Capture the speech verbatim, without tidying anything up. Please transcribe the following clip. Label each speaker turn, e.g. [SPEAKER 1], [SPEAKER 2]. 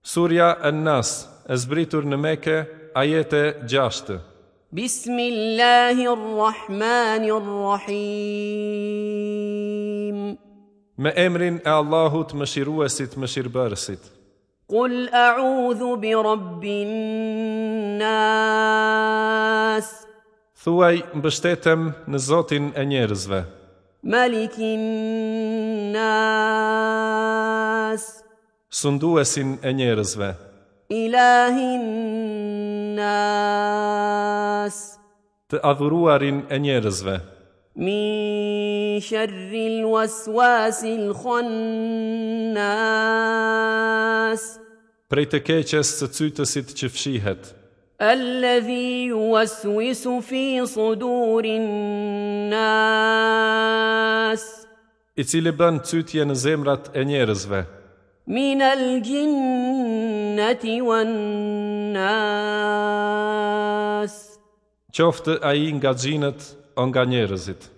[SPEAKER 1] Surja An-Nas, e zbritur në Mekë, ajete gjashtë.
[SPEAKER 2] بسم الله الرحمن الرحيم.
[SPEAKER 1] Me emrin e Allahut, mëshiruesit, mëshirbërësit.
[SPEAKER 2] قل أعوذ برب الناس.
[SPEAKER 1] Thuaj, mbështetem në Zotin e njerëzve,
[SPEAKER 2] ملك الناس.
[SPEAKER 1] Sunduesin e njerëzve,
[SPEAKER 2] إله الناس.
[SPEAKER 1] Të adhuruarin e njerëzve,
[SPEAKER 2] من شر الوسواس الخناس.
[SPEAKER 1] Prej të keqes së cytësit që fshihet,
[SPEAKER 2] الذي يوسوس في صدور الناس.
[SPEAKER 1] I cili bën cytje në zemrat e njerëzve,
[SPEAKER 2] من الجنة والناس.
[SPEAKER 1] Qoftë ai nga xhinët o nga njerëzit.